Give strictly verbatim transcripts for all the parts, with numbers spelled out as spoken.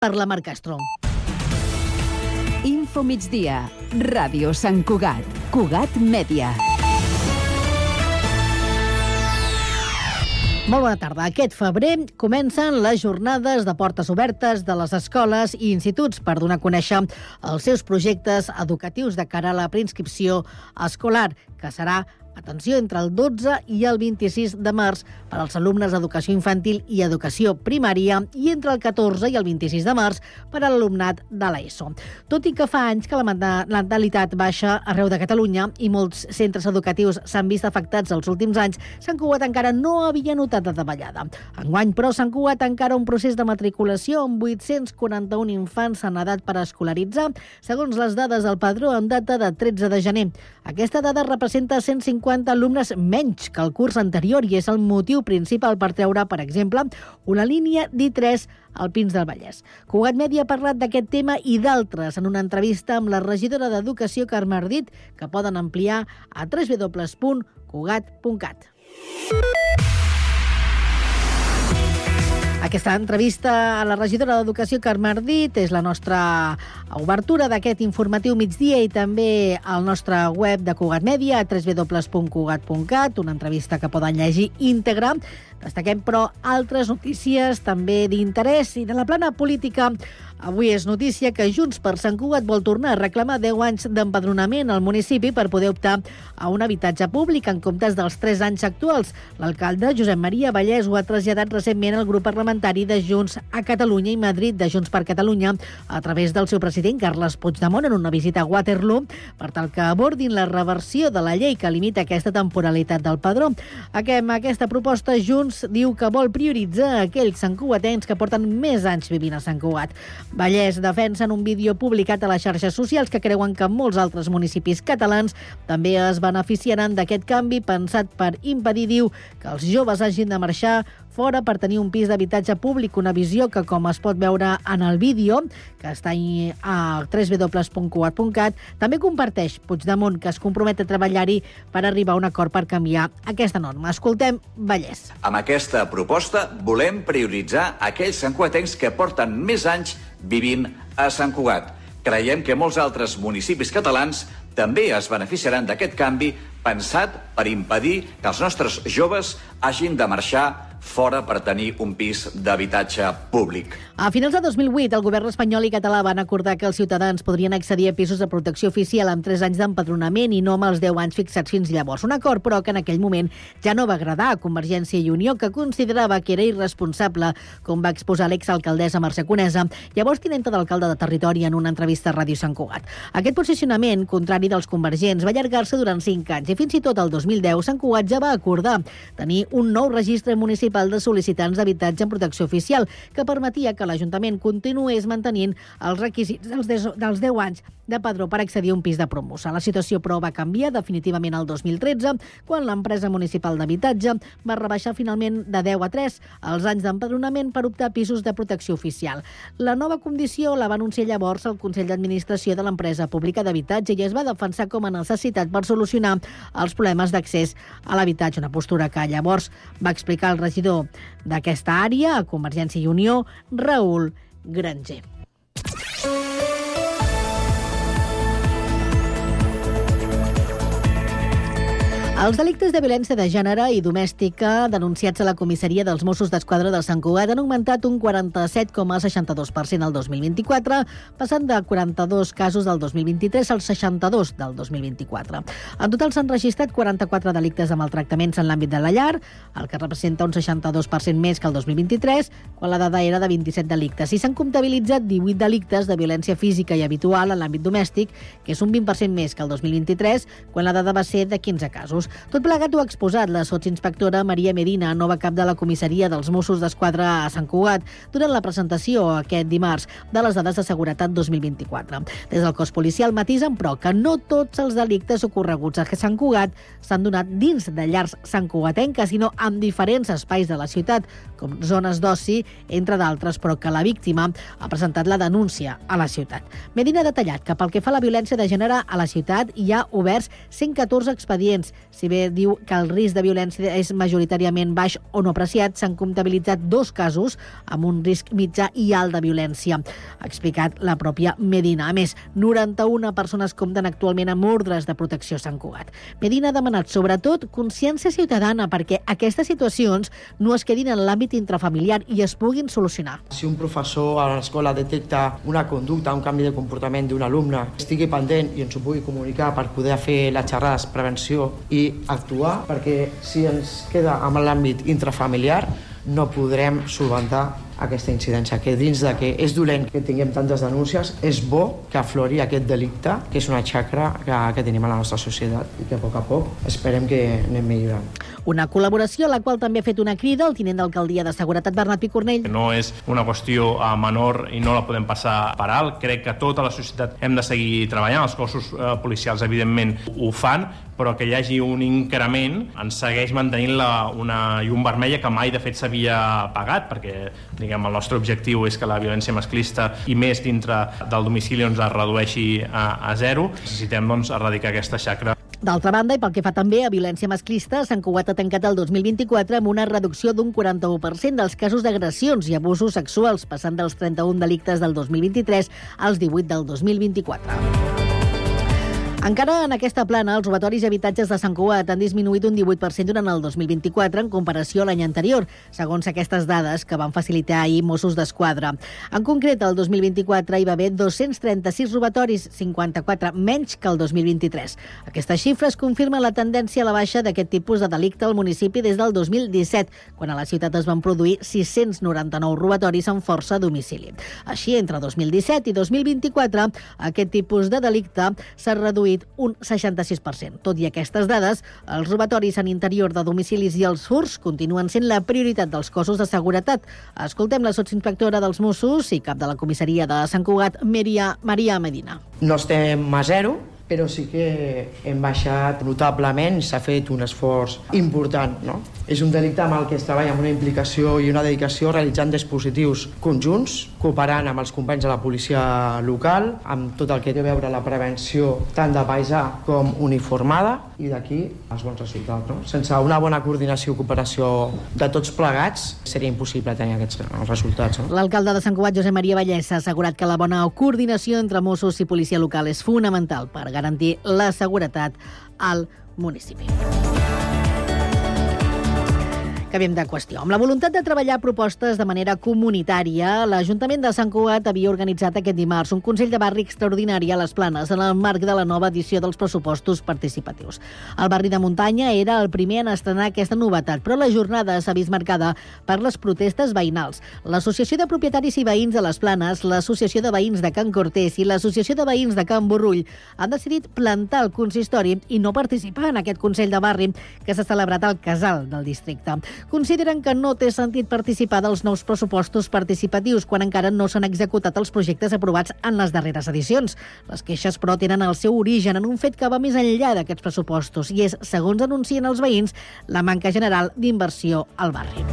per la Mar Castro. Info migdia, Ràdio Sant Cugat, Cugat Mèdia. Molt bona tarda. Aquest febrer comencen les jornades de portes obertes de les escoles i instituts per donar a conèixer els seus projectes educatius de cara a la preinscripció escolar, que serà, atenció, entre el dotze i el vint-i-sis de març per als alumnes d'educació infantil i educació primària i entre el catorze i el vint-i-sis de març per a l'alumnat de l'ESO. Tot i que fa anys que la natalitat baixa arreu de Catalunya i molts centres educatius s'han vist afectats els últims anys, Sant Cugat encara no havia notat de davallada. Enguany, però, Sant Cugat encara un procés de matriculació amb vuit-cents quaranta-un infants en edat per escolaritzar, segons les dades del padró en data de tretze de gener. Aquesta dada representa cent cinquanta alumnes menys que el curs anterior i és el motiu principal per treure, per exemple, una línia d'I tres al Pins del Vallès. Cugat Mèdia ha parlat d'aquest tema i d'altres en una entrevista amb la regidora d'Educació, Carme Ardit, que poden ampliar a w w w punt cugat punt cat. Aquesta entrevista a la regidora d'Educació, Carme Ardit, és la nostra obertura d'aquest informatiu migdia i també al nostre web de Cugat Mèdia, a w w w punt cugat punt cat, una entrevista que poden llegir íntegra. Destaquem, però, altres notícies també d'interès i de la plana política. Avui és notícia que Junts per Sant Cugat vol tornar a reclamar deu anys d'empadronament al municipi per poder optar a un habitatge públic en comptes dels tres anys actuals. L'alcalde Josep Maria Vallès ho ha traslladat recentment al grup parlamentari de Junts a Catalunya i Madrid de Junts per Catalunya a través del seu president Carles Puigdemont en una visita a Waterloo per tal que abordin la reversió de la llei que limita aquesta temporalitat del padró. Amb aquesta proposta, Junts diu que vol prioritzar aquells santcugatens que porten més anys vivint a Sant Cugat. Vallès defensa en un vídeo publicat a les xarxes socials que creuen que molts altres municipis catalans també es beneficiaran d'aquest canvi pensat per impedir, diu, que els joves hagin de marxar fora per tenir un pis d'habitatge públic, una visió que, com es pot veure en el vídeo, que està a w w w punt cugat punt cat, també comparteix Puigdemont, que es compromet a treballar-hi per arribar a un acord per canviar aquesta norma. Escoltem Vallès. Amb aquesta proposta volem prioritzar aquells santcugatencs que porten més anys vivint a Sant Cugat. Creiem que molts altres municipis catalans també es beneficiaran d'aquest canvi pensat per impedir que els nostres joves hagin de marxar fora per tenir un pis d'habitatge públic. A finals de dos mil vuit, el govern espanyol i català van acordar que els ciutadans podrien accedir a pisos de protecció oficial amb tres anys d'empadronament i no amb els deu anys fixats fins llavors. Un acord, però, que en aquell moment ja no va agradar a Convergència i Unió, que considerava que era irresponsable, com va exposar l'exalcaldessa Mercè Conesa, llavors tinenta d'alcalde de territori, en una entrevista a Ràdio Sant Cugat. Aquest posicionament, contrari dels convergents, va allargar-se durant cinc anys i fins i tot el dos mil deu Sant Cugat ja va acordar tenir un nou registre municipal de sol·licitants d'habitatge en protecció oficial que permetia que l'Ajuntament continués mantenint els requisits dels deu anys de padró per accedir a un pis de promoció. La situació, però, va canviar definitivament el dos mil tretze, quan l'empresa municipal d'habitatge va rebaixar finalment de deu a tres els anys d'empadronament per optar a pisos de protecció oficial. La nova condició la va anunciar llavors el Consell d'Administració de l'empresa pública d'habitatge i es va defensar com a necessitat per solucionar els problemes d'accés a l'habitatge, una postura que llavors va explicar el regidor d'aquesta àrea a Convergència i Unió, Raül Granger. Els delictes de violència de gènere i domèstica denunciats a la comissaria dels Mossos d'Esquadra de Sant Cugat han augmentat un quaranta-set coma seixanta-dos per cent el dos mil vint-i-quatre, passant de quaranta-dos casos del dos mil vint-i-tres als seixanta-dos del dos mil vint-i-quatre. En total s'han registrat quaranta-quatre delictes de maltractaments en l'àmbit de la llar, el que representa un seixanta-dos per cent més que el dos mil vint-i-tres, quan la dada era de vint-i-set delictes. I s'han comptabilitzat divuit delictes de violència física i habitual en l'àmbit domèstic, que és un vint per cent més que el dos mil vint-i-tres, quan la dada va ser de quinze casos. Tot plegat ho ha exposat la sotsinspectora Maria Medina, nova cap de la comissaria dels Mossos d'Esquadra a Sant Cugat, durant la presentació aquest dimarts de les dades de seguretat dos mil vint-i-quatre. Des del cos policial matisen, però, que no tots els delictes ocorreguts a Sant Cugat s'han donat dins de llars santcugatenques, sinó en diferents espais de la ciutat, com zones d'oci, entre d'altres, però que la víctima ha presentat la denúncia a la ciutat. Medina ha detallat que pel que fa a la violència de gènere a la ciutat hi ha oberts cent catorze expedients, Si bé diu que el risc de violència és majoritàriament baix o no apreciat, s'han comptabilitzat dos casos amb un risc mitjà i alt de violència, ha explicat la pròpia Medina. A més, noranta-una persones compten actualment amb ordres de protecció a Sant Cugat. Medina ha demanat, sobretot, consciència ciutadana perquè aquestes situacions no es quedin en l'àmbit intrafamiliar i es puguin solucionar. Si un professor a l'escola detecta una conducta, un canvi de comportament d'un alumne, estigui pendent i ens ho pugui comunicar per poder fer les xerrades, prevenció i actuar, perquè si ens queda amb l'àmbit intrafamiliar no podrem solventar aquesta incidència, que dins de que és dolent que tinguem tantes denúncies, és bo que aflori aquest delicte, que és una xacra que, que tenim a la nostra societat i que a poc a poc esperem que anem millorant. Una col·laboració a la qual també ha fet una crida el tinent d'alcaldia de Seguretat, Bernat Picornell. No és una qüestió menor i no la podem passar per alt. Crec que tota la societat hem de seguir treballant. Els cossos eh, policials, evidentment, ho fan, però que hi hagi un increment ens segueix mantenint la, una llum vermella que mai, de fet, s'havia pagat, perquè diguem, el nostre objectiu és que la violència masclista i més dintre del domicili doncs, es redueixi a, a zero. Necessitem doncs, erradicar aquesta xacra. D'altra banda, i pel que fa també a violència masclista, Sant Cugat ha tancat el dos mil vint-i-quatre amb una reducció d'un quaranta-u per cent dels casos d'agressions i abusos sexuals, passant dels trenta-un delictes del dos mil vint-i-tres als divuit del dos mil vint-i-quatre. Encara en aquesta plana, els robatoris i habitatges de Sant Cugat han disminuït un divuit per cent durant el dos mil vint-i-quatre en comparació a l'any anterior, segons aquestes dades que van facilitar ahir Mossos d'Esquadra. En concret, el dos mil vint-i-quatre hi va haver dos-cents trenta-sis robatoris, cinquanta-quatre menys que el dos mil vint-i-tres. Aquestes xifres confirmen la tendència a la baixa d'aquest tipus de delicte al municipi des del dos mil disset, quan a la ciutat es van produir sis-cents noranta-nou robatoris amb força a domicili. Així, entre dos mil disset i dos mil vint-i-quatre, aquest tipus de delicte s'ha reduït un seixanta-sis per cent. Tot i aquestes dades, els robatoris en interior de domicilis i els furts continuen sent la prioritat dels cossos de seguretat. Escoltem la sotsinspectora dels Mossos i cap de la comissaria de Sant Cugat, Maria, Maria Medina. No estem a zero, però sí que hem baixat notablement i s'ha fet un esforç important. No? És un delicte amb el que es treballa amb una implicació i una dedicació realitzant dispositius conjunts, cooperant amb els companys de la policia local, amb tot el que té a veure la prevenció tant de paisà com uniformada, i d'aquí els bons resultats. No? Sense una bona coordinació i cooperació de tots plegats seria impossible tenir aquests resultats. No? L'alcalde de Sant Cugat, Josep Maria Vallès, ha assegurat que la bona coordinació entre Mossos i policia local és fonamental per garantir la seguretat al municipi. Canviem de qüestió. Amb la voluntat de treballar propostes de manera comunitària, l'Ajuntament de Sant Cugat havia organitzat aquest dimarts un Consell de Barri extraordinari a les Planes en el marc de la nova edició dels pressupostos participatius. El barri de Muntanya era el primer en estrenar aquesta novetat, però la jornada s'ha vist marcada per les protestes veïnals. L'Associació de Propietaris i Veïns de les Planes, l'Associació de Veïns de Can Cortés i l'Associació de Veïns de Can Borrull han decidit plantar el consistori i no participar en aquest Consell de Barri que s'ha celebrat al Casal del districte. Consideren que no té sentit participar dels nous pressupostos participatius quan encara no s'han executat els projectes aprovats en les darreres edicions. Les queixes, però, tenen el seu origen en un fet que va més enllà d'aquests pressupostos i és, segons anuncien els veïns, la manca general d'inversió al barri.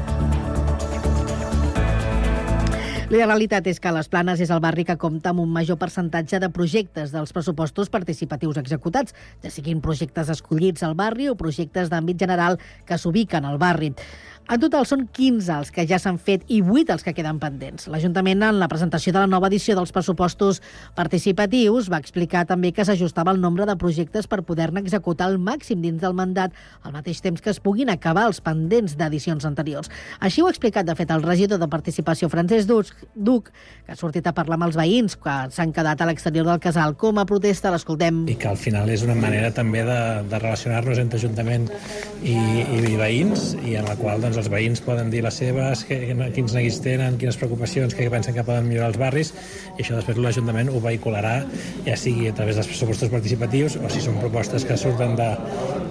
La realitat és que les Planes és el barri que compta amb un major percentatge de projectes dels pressupostos participatius executats, ja siguin projectes escollits al barri o projectes d'àmbit general que s'ubiquen al barri. En total són quinze els que ja s'han fet i vuit els que queden pendents. L'Ajuntament, en la presentació de la nova edició dels pressupostos participatius, va explicar també que s'ajustava el nombre de projectes per poder-ne executar al màxim dins del mandat, al mateix temps que es puguin acabar els pendents d'edicions anteriors. Així ho ha explicat, de fet, el regidor de Participació, Francesc Duc, que ha sortit a parlar amb els veïns que s'han quedat a l'exterior del casal com a protesta. L'escoltem. I que al final és una manera també de, de relacionar-nos entre Ajuntament i, i, i veïns, i en la qual doncs, els veïns poden dir les seves, que, quins neguits tenen, quines preocupacions, què pensen que poden millorar els barris, i això després l'Ajuntament ho vehicularà, ja sigui a través dels pressupostos participatius o si són propostes que surten de,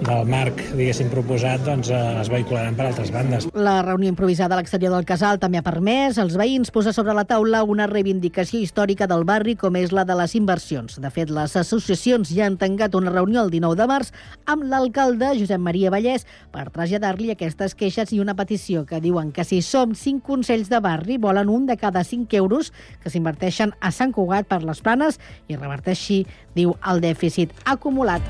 del marc, diguéssim, proposat, doncs es vehicularan per altres bandes. La reunió improvisada a l'exterior del casal també ha permès als veïns posar sobre la taula una reivindicació històrica del barri com és la de les inversions. De fet, les associacions ja han tancat una reunió el dinou de març amb l'alcalde Josep Maria Vallès per traslladar-li aquestes queixes i una petició que diuen que si som cinc consells de barri volen un de cada cinc euros que s'inverteixen a Sant Cugat per les Planes i reverteixi, diu, el dèficit acumulat.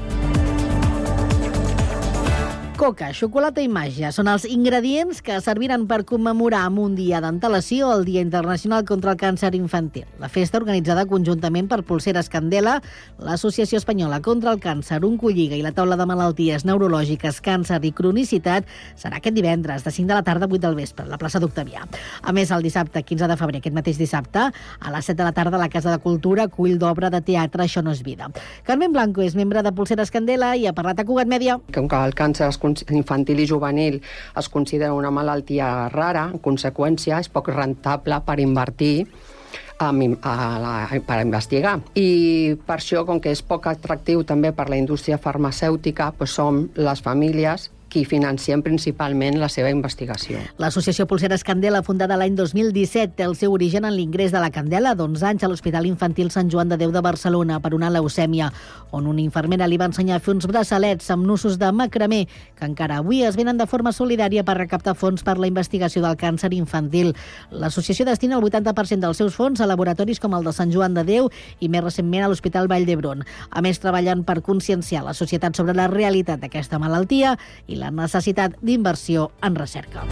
Coca, xocolata i màgia són els ingredients que serviran per commemorar amb un dia d'antelació el Dia Internacional contra el Càncer Infantil. La festa, organitzada conjuntament per Polseres Candela, l'Associació Espanyola contra el Càncer, Oncolliga i la Taula de Malalties Neurològiques, Càncer i Cronicitat, serà aquest divendres, de cinc de la tarda a vuit del vespre, a la plaça d'Octavià. A més, el dissabte quinze de febrer, aquest mateix dissabte, a les set de la tarda, a la Casa de Cultura, acull d'obra de teatre Això no és vida. Carmen Blanco és membre de Polseres Candela i ha parlat a Cugat Mèdia. Com que el càncer infantil i juvenil es considera una malaltia rara, en conseqüència és poc rentable per invertir a, la, per investigar. I per això, com que és poc atractiu també per la indústria farmacèutica, doncs som les famílies qui financien principalment la seva investigació. L'Associació Polseres Candela, fundada l'any dos mil disset, té el seu origen en l'ingrés de la Candela d'onze anys a l'Hospital Infantil Sant Joan de Déu de Barcelona per una leucèmia, on una infermera li va ensenyar a fer uns braçalets amb nusos de macramé que encara avui es venen de forma solidària per recaptar fons per la investigació del càncer infantil. L'associació destina el vuitanta per cent dels seus fons a laboratoris com el de Sant Joan de Déu i més recentment a l'Hospital Vall d'Hebron. A més, treballen per conscienciar la societat sobre la realitat d'aquesta malaltia i la necessitat d'inversió en recerca.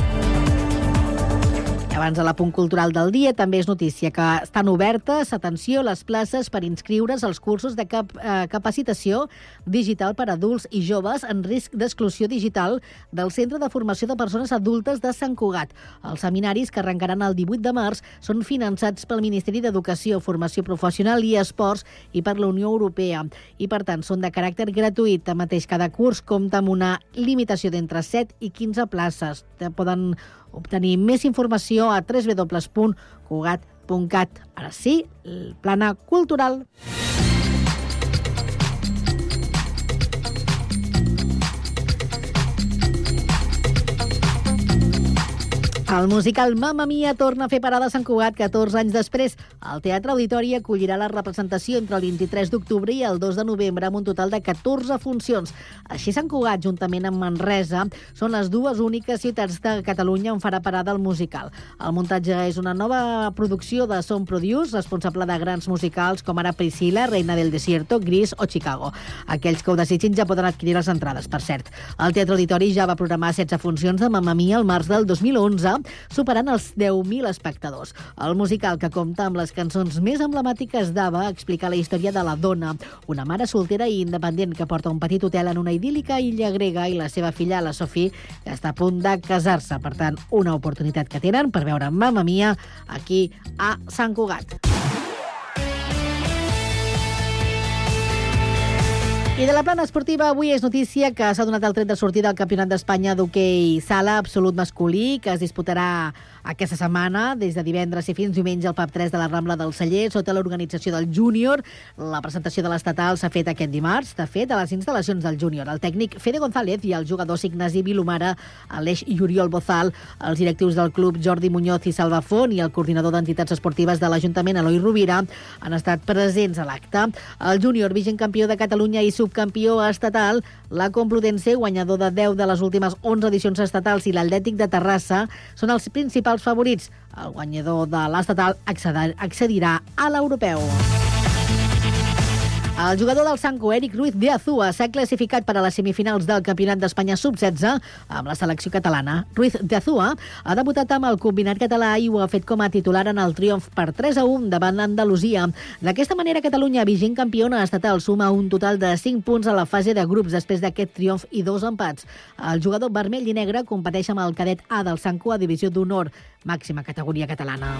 Abans de l'apunt cultural del dia, també és notícia que estan obertes, atenció, les places per inscriure's als cursos de cap, eh, capacitació digital per a adults i joves en risc d'exclusió digital del Centre de Formació de Persones Adultes de Sant Cugat. Els seminaris, que arrencaran el divuit de març, són finançats pel Ministeri d'Educació, Formació Professional i Esports i per la Unió Europea. I, per tant, són de caràcter gratuït. Tanmateix, cada curs compta amb una limitació d'entre set i quinze places. Poden obtenir més informació a w w w punt cugat punt cat. Ara sí, el plana cultural. El musical Mamma Mia torna a fer parada a Sant Cugat catorze anys després. El Teatre Auditori acollirà la representació entre el vint-i-tres d'octubre i el dos de novembre amb un total de catorze funcions. Així, Sant Cugat, juntament amb Manresa, són les dues úniques ciutats de Catalunya on farà parada el musical. El muntatge és una nova producció de Sound Produce, responsable de grans musicals com ara Priscilla, Reina del Desierto, Gris o Chicago. Aquells que ho desitgin ja poden adquirir les entrades, per cert. El Teatre Auditori ja va programar setze funcions de Mamma Mia al març del dos mil onze, superant els deu mil espectadors. El musical, que compta amb les cançons més emblemàtiques d'Ava, explica la història de la dona, una mare soltera i independent que porta un petit hotel en una idíl·lica illa grega, i la seva filla, la Sophie, que està a punt de casar-se. Per tant, una oportunitat que tenen per veure Mamma Mia aquí a Sant Cugat. I de la plana esportiva, avui és notícia que s'ha donat el tret de sortida al Campionat d'Espanya d'hoquei sala absolut masculí, que es disputarà aquesta setmana, des de divendres i fins diumenge al Pub tres de la Rambla del Celler, sota l'organització del Júnior. La presentació de l'estatal s'ha fet aquest dimarts, de fet, a les instal·lacions del Júnior. El tècnic Fede González i el jugador Ignasi Vilomara, Aleix i Oriol Bozal, els directius del club Jordi Muñoz i Salva Font i el coordinador d'entitats esportives de l'Ajuntament, Eloi Rovira, han estat presents a l'acte. El Júnior, vigent campió de Catalunya i subcampió estatal, la Complutense, guanyador de deu de les últimes onze edicions estatals, i l'Atlètic de Terrassa són els principals favorits. El guanyador de l'estatal accedirà a l'europeu. El jugador del Sanco, Eric Ruiz de Azúa, s'ha classificat per a les semifinals del Campionat d'Espanya sub setze amb la selecció catalana. Ruiz de Azúa ha debutat amb el combinat català i ho ha fet com a titular en el triomf per tres a un davant l'Andalusia. D'aquesta manera, Catalunya, vigent campiona estatal, suma un total de cinc punts a la fase de grups després d'aquest triomf i dos empats. El jugador vermell i negre competeix amb el cadet A del Sanco a divisió d'honor, màxima categoria catalana.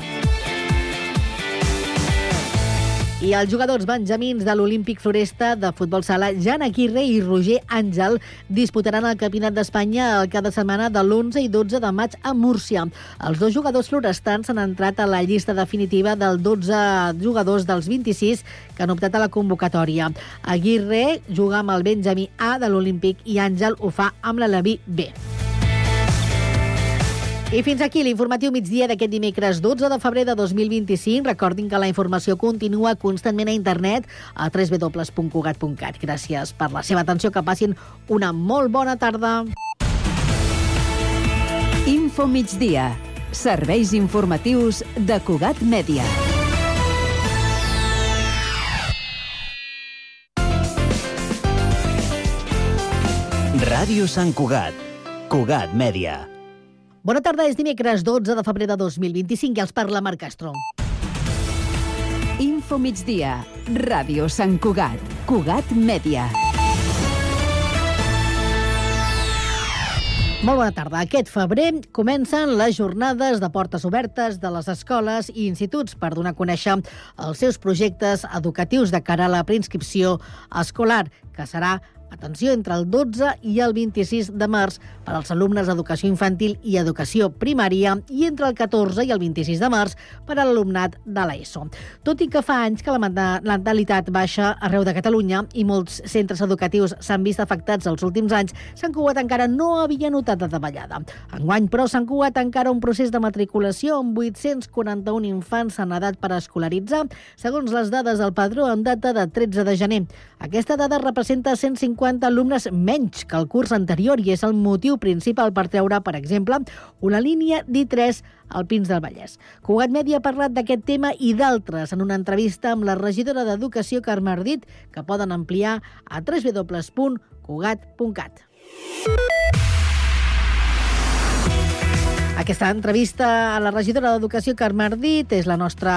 I els jugadors benjamins de l'Olímpic Floresta de futbol sala, Jan Aguirre i Roger Àngel, disputaran el Campionat d'Espanya el cap de setmana de l'onze i dotze de maig a Múrcia. Els dos jugadors florestans han entrat a la llista definitiva dels dotze jugadors dels vint-i-sis que han optat a la convocatòria. Aguirre juga amb el benjamí A de l'Olímpic i Àngel ho fa amb l'Aleví B. I fins aquí l'informatiu migdia d'aquest dimecres dotze de febrer de dos mil vint-i-cinc. Recordin que la informació continua constantment a internet a w w w punt cugat punt cat. Gràcies per la seva atenció, que passin una molt bona tarda. Info migdia. Serveis informatius de Cugat Mèdia. Ràdio Ràdio Sant Cugat. Cugat Mèdia. Bona tarda, és dimecres dotze de febrer de dos mil vint-i-cinc i els parla Marc Castro. Info migdia. Ràdio Sant Cugat. Cugat Mèdia. Molt bona tarda. Aquest febrer comencen les jornades de portes obertes de les escoles i instituts per donar a conèixer els seus projectes educatius de cara a la preinscripció escolar, que serà, atenció, entre el dotze i el vint-i-sis de març per als alumnes d'educació infantil i educació primària i entre el catorze i el vint-i-sis de març per a l'alumnat de l'ESO. Tot i que fa anys que la natalitat baixa arreu de Catalunya i molts centres educatius s'han vist afectats els últims anys, Sant Cugat encara no havia notat de davallada. Enguany, però, Sant Cugat encara un procés de matriculació amb vuit-cents quaranta-un infants en edat per escolaritzar, segons les dades del padró en data de tretze de gener. Aquesta dada representa cent cinquanta alumnes menys que el curs anterior i és el motiu principal per treure, per exemple, una línia d'I tres al Pins del Vallès. Cugat Mèdia ha parlat d'aquest tema i d'altres en una entrevista amb la regidora d'Educació, Carme Ardit, que poden ampliar a w w w punt cugat punt cat. Aquesta entrevista a la regidora d'Educació, Carme Ardit, és la nostra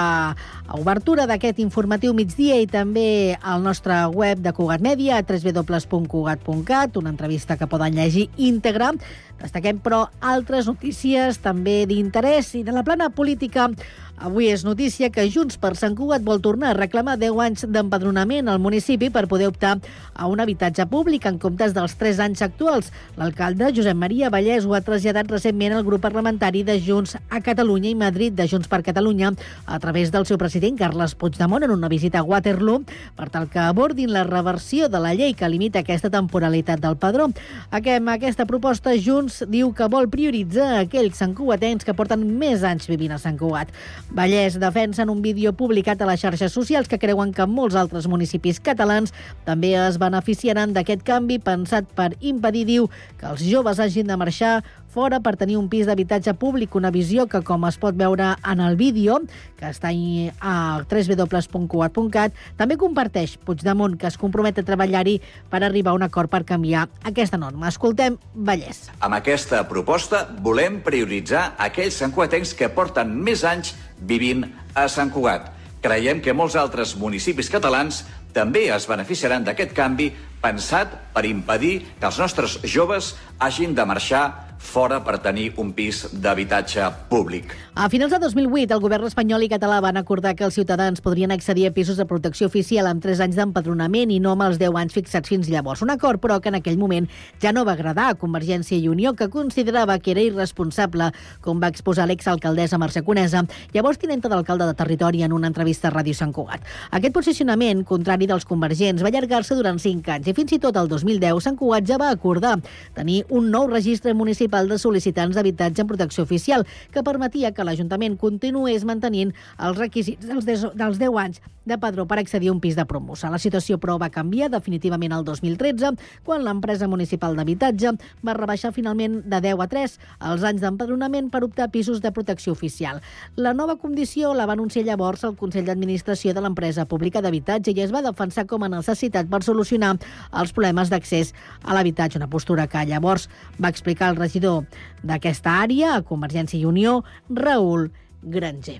obertura d'aquest informatiu migdia i també al nostre web de Cugat Mèdia, a w w w punt cugat punt cat, una entrevista que poden llegir íntegra. Destaquem, però, altres notícies també d'interès i de la plana política. Avui és notícia que Junts per Sant Cugat vol tornar a reclamar deu anys d'empadronament al municipi per poder optar a un habitatge públic en comptes dels tres anys actuals. L'alcalde Josep Maria Vallès ho ha traslladat recentment al grup parlamentari de Junts a Catalunya i Madrid de Junts per Catalunya a través del seu president Carles Puigdemont en una visita a Waterloo per tal que abordin la reversió de la llei que limita aquesta temporalitat del padró. Amb aquesta proposta, Junts diu que vol prioritzar aquells santcugatencs que porten més anys vivint a Sant Cugat. Vallès defensa en un vídeo publicat a les xarxes socials que creuen que molts altres municipis catalans també es beneficiaran d'aquest canvi pensat per impedir, diu, que els joves hagin de marxar fora per tenir un pis d'habitatge públic, una visió que, com es pot veure en el vídeo, que està a w w w punt cugat punt cat, també comparteix Puigdemont, que es compromet a treballar-hi per arribar a un acord per canviar aquesta norma. Escoltem Vallès. Amb aquesta proposta volem prioritzar aquells santcugatencs que porten més anys vivint a Sant Cugat. Creiem que molts altres municipis catalans també es beneficiaran d'aquest canvi pensat per impedir que els nostres joves hagin de marxar fora per tenir un pis d'habitatge públic. A finals de dos mil vuit, el govern espanyol i català van acordar que els ciutadans podrien accedir a pisos de protecció oficial amb tres anys d'empadronament i no amb els deu anys fixats fins llavors. Un acord, però, que en aquell moment ja no va agradar a Convergència i Unió, que considerava que era irresponsable, com va exposar l'exalcaldessa Mercè Conesa, llavors tinenta d'alcalde de territori, en una entrevista a Ràdio Sant Cugat. Aquest posicionament, contrari dels convergents, va allargar-se durant cinc anys i fins i tot el dos mil deu Sant Cugat ja va acordar tenir un nou registre municipal de sol·licitants d'habitatge en protecció oficial que permetia que l'Ajuntament continués mantenint els requisits dels deu anys de padró per accedir a un pis de promoció. La situació, però, va canviar definitivament el dos mil tretze, quan l'empresa municipal d'habitatge va rebaixar finalment de deu a tres els anys d'empadronament per optar a pisos de protecció oficial. La nova condició la va anunciar llavors el Consell d'Administració de l'empresa pública d'habitatge i es va defensar com a necessitat per solucionar els problemes d'accés a l'habitatge, una postura que llavors va explicar el regidor d'aquesta àrea a Convergència i Unió, Raül Granger.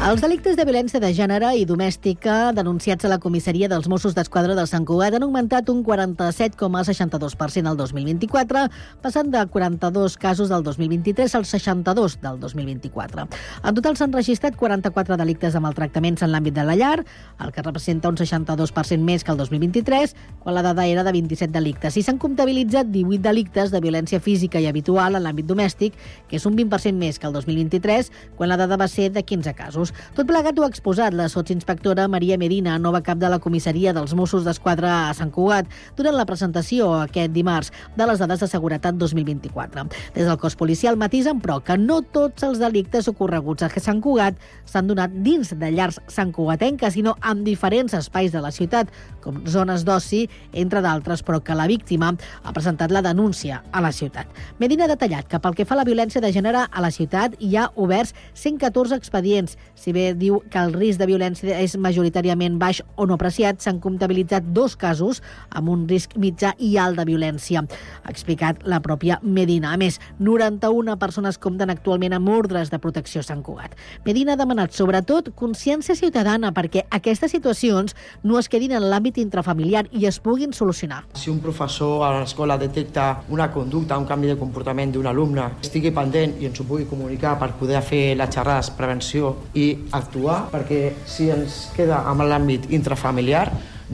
Els delictes de violència de gènere i domèstica denunciats a la comissaria dels Mossos d'Esquadra de Sant Cugat han augmentat un quaranta-set coma seixanta-dos per cent el dos mil vint-i-quatre, passant de quaranta-dos casos del dos mil vint-i-tres als seixanta-dos del dos mil vint-i-quatre. En total s'han registrat quaranta-quatre delictes de maltractaments en l'àmbit de la llar, el que representa un seixanta-dos per cent més que el dos mil vint-i-tres, quan la dada era de vint-i-set delictes. I s'han comptabilitzat divuit delictes de violència física i habitual en l'àmbit domèstic, que és un vint per cent més que el dos mil vint-i-tres, quan la dada va ser de quinze casos. Tot plegat ho ha exposat la sotsinspectora Maria Medina, nova cap de la comissaria dels Mossos d'Esquadra a Sant Cugat, durant la presentació aquest dimarts de les dades de seguretat dos mil vint-i-quatre. Des del cos policial matisen, però, que no tots els delictes ocorreguts a Sant Cugat s'han donat dins de llars santcugatenques, sinó en diferents espais de la ciutat, com zones d'oci, entre d'altres, però que la víctima ha presentat la denúncia a la ciutat. Medina ha detallat que pel que fa a la violència de gènere a la ciutat hi ha oberts cent catorze expedients, Si bé diu que el risc de violència és majoritàriament baix o no apreciat, s'han comptabilitzat dos casos amb un risc mitjà i alt de violència, ha explicat la pròpia Medina. A més, noranta-una persones compten actualment amb ordres de protecció a Sant Cugat. Medina ha demanat, sobretot, consciència ciutadana perquè aquestes situacions no es quedin en l'àmbit intrafamiliar i es puguin solucionar. Si un professor a l'escola detecta una conducta, un canvi de comportament d'un alumne, estigui pendent i ens ho pugui comunicar per poder fer les xerrades, prevenció i actuar, perquè si ens queda amb l'àmbit intrafamiliar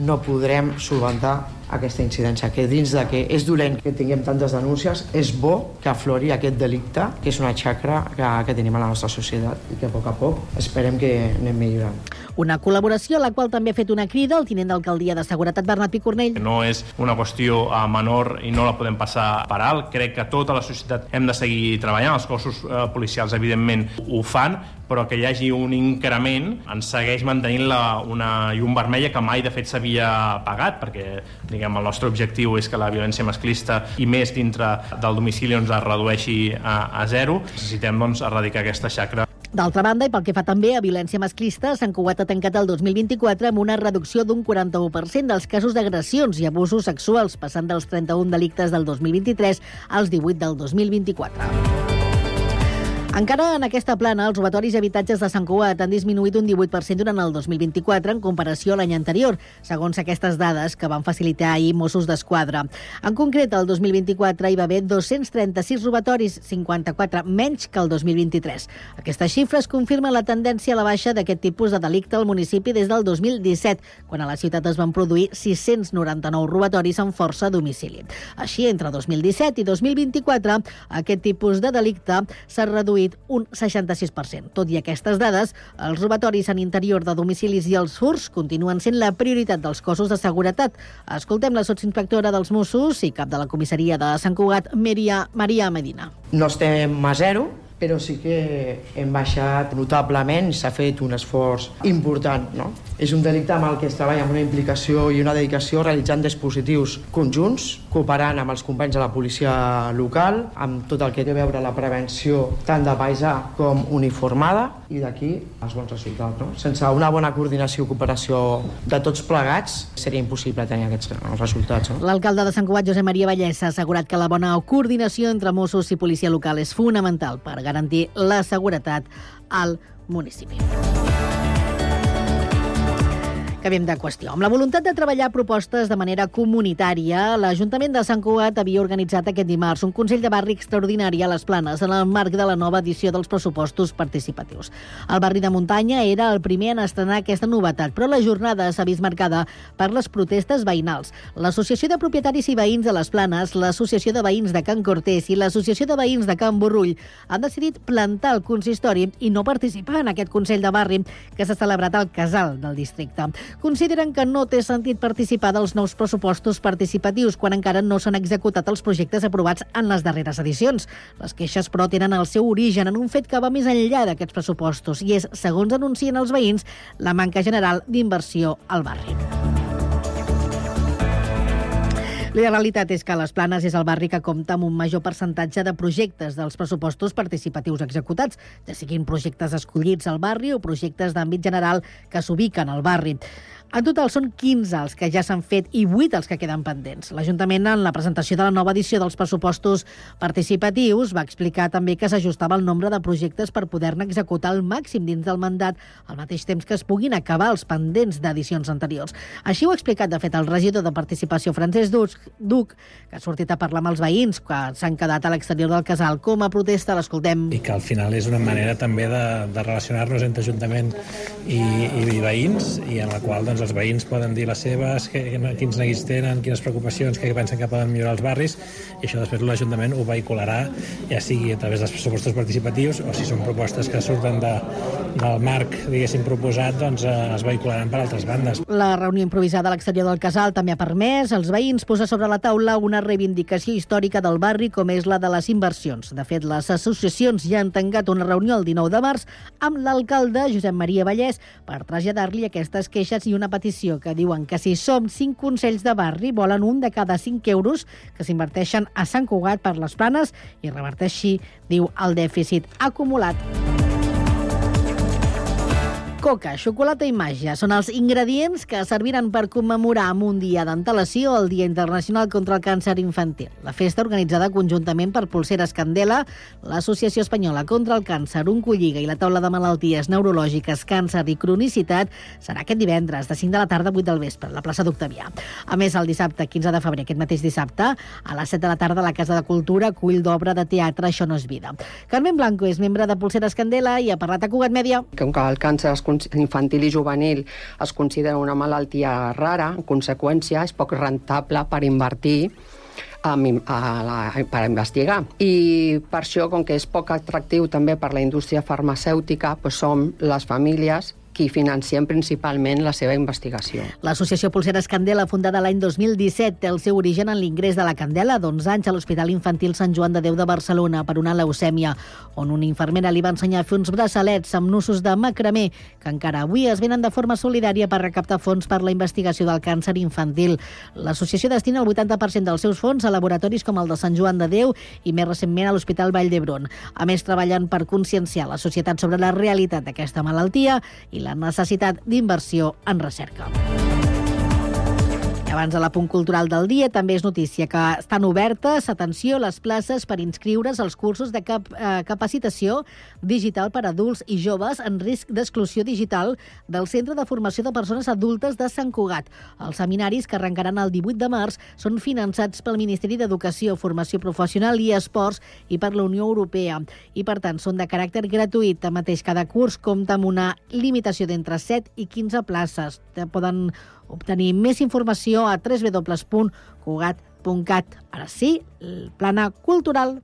no podrem solventar aquesta incidència, que dins de que és dolent que tinguem tantes denúncies, és bo que aflori aquest delicte, que és una xacra que, que tenim a la nostra societat i que a poc a poc esperem que anem millorant. Una col·laboració a la qual també ha fet una crida el tinent d'alcaldia de Seguretat, Bernat Picornell. No és una qüestió uh, menor i no la podem passar per alt. Crec que tota la societat hem de seguir treballant. Els cossos uh, policials, evidentment, ho fan, però que hi hagi un increment ens segueix mantenint la, una llum vermella que mai, de fet, s'havia pagat, perquè diguem, el nostre objectiu és que la violència masclista i més dintre del domicili ens es redueixi a, a zero. Necessitem doncs, erradicar aquesta xacra. D'altra banda, i pel que fa també a violència masclista, Sant Cugat ha tancat el dos mil vint-i-quatre amb una reducció d'un quaranta-u per cent dels casos d'agressions i abusos sexuals, passant dels trenta-un delictes del dos mil vint-i-tres als divuit del dos mil vint-i-quatre. Encara en aquesta plana, els robatoris i habitatges de Sant Cugat han disminuït un divuit per cent durant el dos mil vint-i-quatre en comparació a l'any anterior, segons aquestes dades que van facilitar ahir Mossos d'Esquadra. En concret, el dos mil vint-i-quatre hi va haver dos-cents trenta-sis robatoris, cinquanta-quatre menys que el dos mil vint-i-tres. Aquestes xifres confirmen la tendència a la baixa d'aquest tipus de delicte al municipi des del dos mil disset, quan a la ciutat es van produir sis-cents noranta-nou robatoris amb força a domicili. Així, entre dos mil disset i dos mil vint-i-quatre, aquest tipus de delicte s'ha reduït un seixanta-sis per cent. Tot i aquestes dades, els robatoris en interior de domicilis i els furts continuen sent la prioritat dels cossos de seguretat. Escoltem la sotsinspectora dels Mossos i cap de la comissaria de Sant Cugat, Maria, Maria Medina. No estem a zero, però sí que hem baixat notablement, s'ha fet un esforç important, no? És un delicte amb el que es treballa amb una implicació i una dedicació realitzant dispositius conjunts, cooperant amb els companys de la policia local, amb tot el que té a veure la prevenció tant de paisà com uniformada, i d'aquí els bons resultats, no? Sense una bona coordinació i cooperació de tots plegats seria impossible tenir aquests resultats, no? L'alcalde de Sant Cugat, Josep Maria Vallès, ha assegurat que la bona coordinació entre Mossos i policia local és fonamental per garantir la seguretat al municipi. Canviem de qüestió. Amb la voluntat de treballar propostes de manera comunitària, l'Ajuntament de Sant Cugat havia organitzat aquest dimarts un Consell de Barri extraordinari a les Planes en el marc de la nova edició dels pressupostos participatius. El barri de Muntanya era el primer en estrenar aquesta novetat, però la jornada s'ha vist marcada per les protestes veïnals. L'Associació de Propietaris i Veïns de les Planes, l'Associació de Veïns de Can Cortés i l'Associació de Veïns de Can Borrull han decidit plantar el consistori i no participar en aquest Consell de Barri que s'ha celebrat al Casal del districte. Consideren que no té sentit participar dels nous pressupostos participatius quan encara no s'han executat els projectes aprovats en les darreres edicions. Les queixes, però, tenen el seu origen en un fet que va més enllà d'aquests pressupostos i és, segons anuncien els veïns, la manca general d'inversió al barri. La realitat és que les Planes és el barri que compta amb un major percentatge de projectes dels pressupostos participatius executats, ja siguin projectes escollits al barri o projectes d'àmbit general que s'ubiquen al barri. En total són quinze els que ja s'han fet i vuit els que queden pendents. L'Ajuntament, en la presentació de la nova edició dels pressupostos participatius, va explicar també que s'ajustava el nombre de projectes per poder-ne executar al màxim dins del mandat, al mateix temps que es puguin acabar els pendents d'edicions anteriors. Així ho ha explicat, de fet, el regidor de Participació, Francesc Duc, que ha sortit a parlar amb els veïns que s'han quedat a l'exterior del casal com a protesta. L'escoltem. I que al final és una manera també de, de relacionar-nos entre Ajuntament i, i veïns, i en la qual doncs, els veïns poden dir les seves, que, quins neguits tenen, quines preocupacions, que pensen que poden millorar els barris, i això després l'Ajuntament ho vehicularà, ja sigui a través dels pressupostos participatius o si són propostes que surten de, del marc, diguéssim, proposat, doncs eh, es vehicularan per altres bandes. La reunió improvisada a l'exterior del casal també ha permès als veïns posar sobre la taula una reivindicació històrica del barri com és la de les inversions. De fet, les associacions ja han tancat una reunió el dinou de març amb l'alcalde Josep Maria Vallès per traslladar-li aquestes queixes i una petició que diuen que si som cinc consells de barri volen un de cada cinc euros que s'inverteixen a Sant Cugat per les Planes i reverteixi, diu, el dèficit acumulat. Coca, xocolata i màgia són els ingredients que serviran per commemorar amb un dia d'antelació el Dia Internacional contra el Càncer Infantil. La festa, organitzada conjuntament per Polseres Candela, l'Associació Espanyola contra el Càncer, Oncolliga i la Taula de Malalties Neurològiques, Càncer i Cronicitat, serà aquest divendres, de cinc de la tarda a vuit del vespre, a la plaça d'Octavià. A més, el dissabte quinze de febrer, aquest mateix dissabte, a les set de la tarda, a la Casa de Cultura, acull d'obra de teatre Això no és vida. Carmen Blanco és membre de Polseres Candela i ha parlat a Cugat Mèdia. Com que el càncer infantil i juvenil es considera una malaltia rara, en conseqüència és poc rentable per invertir a, a la, per investigar. I per això, com que és poc atractiu també per la indústria farmacèutica, doncs som les famílies qui financiem principalment la seva investigació. L'Associació Polseres Candela, fundada l'any dos mil disset, té el seu origen en l'ingrés de la Candela d'onze anys a l'Hospital Infantil Sant Joan de Déu de Barcelona per una leucèmia, on una infermera li va ensenyar a fer uns braçalets amb nusos de macramé que encara avui es venen de forma solidària per recaptar fons per la investigació del càncer infantil. L'associació destina el vuitanta per cent dels seus fons a laboratoris com el de Sant Joan de Déu i més recentment a l'Hospital Vall d'Hebron. A més, treballen per conscienciar la societat sobre la realitat d'aquesta malaltia i la necessitat d'inversió en recerca. Abans de l'apunt cultural del dia, també és notícia que estan obertes, atenció, les places per inscriure's als cursos de cap, eh, capacitació digital per a adults i joves en risc d'exclusió digital del Centre de Formació de Persones Adultes de Sant Cugat. Els seminaris, que arrencaran el divuit de març, són finançats pel Ministeri d'Educació, Formació Professional i Esports i per la Unió Europea. I, per tant, són de caràcter gratuït. Tanmateix, cada curs compta amb una limitació d'entre set i quinze places. Poden obtenir més informació a w w w punt cugat punt cat. Ara sí, el plana cultural.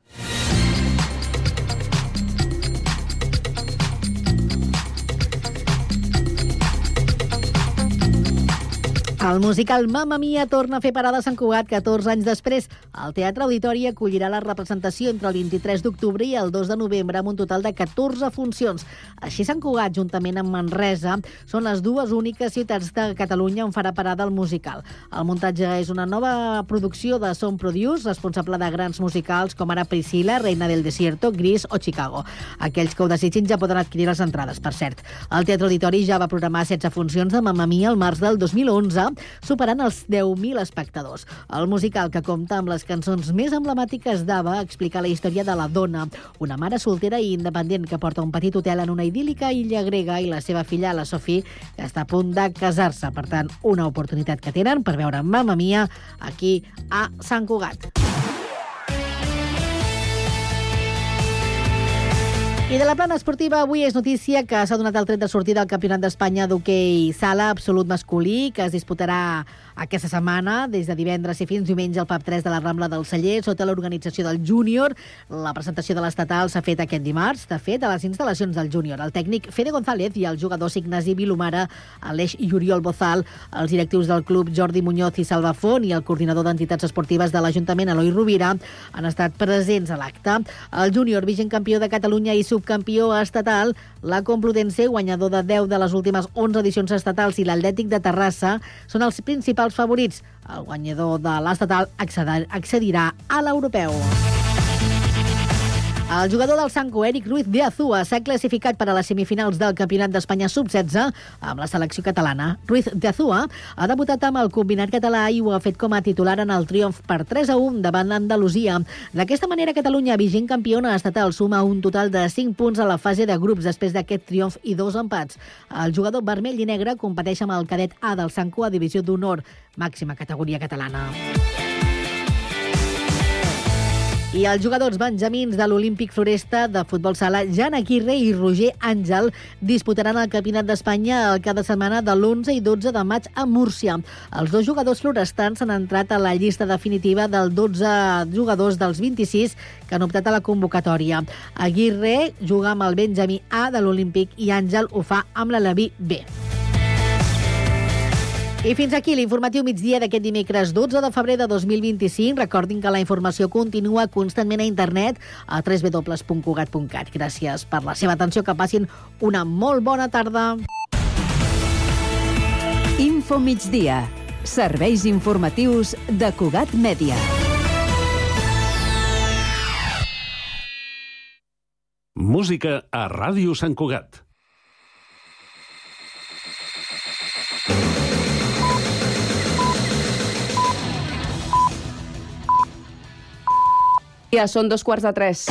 El musical Mamma Mia torna a fer parada a Sant Cugat catorze anys després. El Teatre Auditori acollirà la representació entre el vint-i-tres d'octubre i el dos de novembre amb un total de catorze funcions. Així, Sant Cugat, juntament amb Manresa, són les dues úniques ciutats de Catalunya on farà parada el musical. El muntatge és una nova producció de Sound Produce, responsable de grans musicals com ara Priscilla, Reina del Desierto, Gris o Chicago. Aquells que ho desitgin ja poden adquirir les entrades, per cert. El Teatre Auditori ja va programar setze funcions de Mamma Mia al març del dos mil onze, superant els deu mil espectadors. El musical, que compta amb les cançons més emblemàtiques d'Ava, explica la història de la dona, una mare soltera i independent que porta un petit hotel en una idíl·lica illa grega, i la seva filla, la Sophie, que està a punt de casar-se. Per tant, una oportunitat que tenen per veure Mamma Mia aquí a Sant Cugat. I de la plana esportiva, avui és notícia que s'ha donat el tret de sortida al Campionat d'Espanya d'hoquei sala absolut masculí, que es disputarà aquesta setmana, des de divendres i fins diumenge al Pub tres de la Rambla del Celler, sota l'organització del Júnior. La presentació de l'estatal s'ha fet aquest dimarts, de fet, a les instal·lacions del Júnior. El tècnic Fede González i el jugador Ignasi Vilomara, Aleix i Oriol Bozal, els directius del club Jordi Muñoz i Salva Font i el coordinador d'entitats esportives de l'Ajuntament, Eloi Rovira, han estat presents a l'acte. El Júnior, vigent campió de Catalunya i subcampió estatal, la Complutense, guanyador de deu de les últimes onze edicions estatals, i l'Atlètic de Terrassa són els principals favorits. El guanyador de l'estatal accedirà a l'europeu. El jugador del Sanco, Eric Ruiz de Azúa, s'ha classificat per a les semifinals del Campionat d'Espanya sub setze amb la selecció catalana. Ruiz de Azúa ha debutat amb el combinat català i ho ha fet com a titular en el triomf per tres a un davant l'Andalusia. D'aquesta manera, Catalunya, vigent campiona estatal, suma un total de cinc punts a la fase de grups després d'aquest triomf i dos empats. El jugador vermell i negre competeix amb el cadet A del Sanco a divisió d'honor, màxima categoria catalana. I els jugadors benjamins de l'Olímpic Floresta de futbol sala, Jan Aguirre i Roger Àngel, disputaran el Campionat d'Espanya el cap de setmana de l'onze i dotze de maig a Múrcia. Els dos jugadors florestans han entrat a la llista definitiva dels dotze jugadors dels vint-i-sis que han optat a la convocatòria. Aguirre juga amb el benjamí A de l'Olímpic i Àngel ho fa amb l'Aleví B. I fins aquí l'informatiu migdia d'aquest dimecres dotze de febrer de dos mil vint-i-cinc. Recordin que la informació continua constantment a internet a w w w punt cugat punt cat. Gràcies per la seva atenció, que passin una molt bona tarda. Info migdia. Serveis informatius de Cugat Mèdia. Música a Ràdio Sant Cugat. Gràcies, són dos quarts de tres.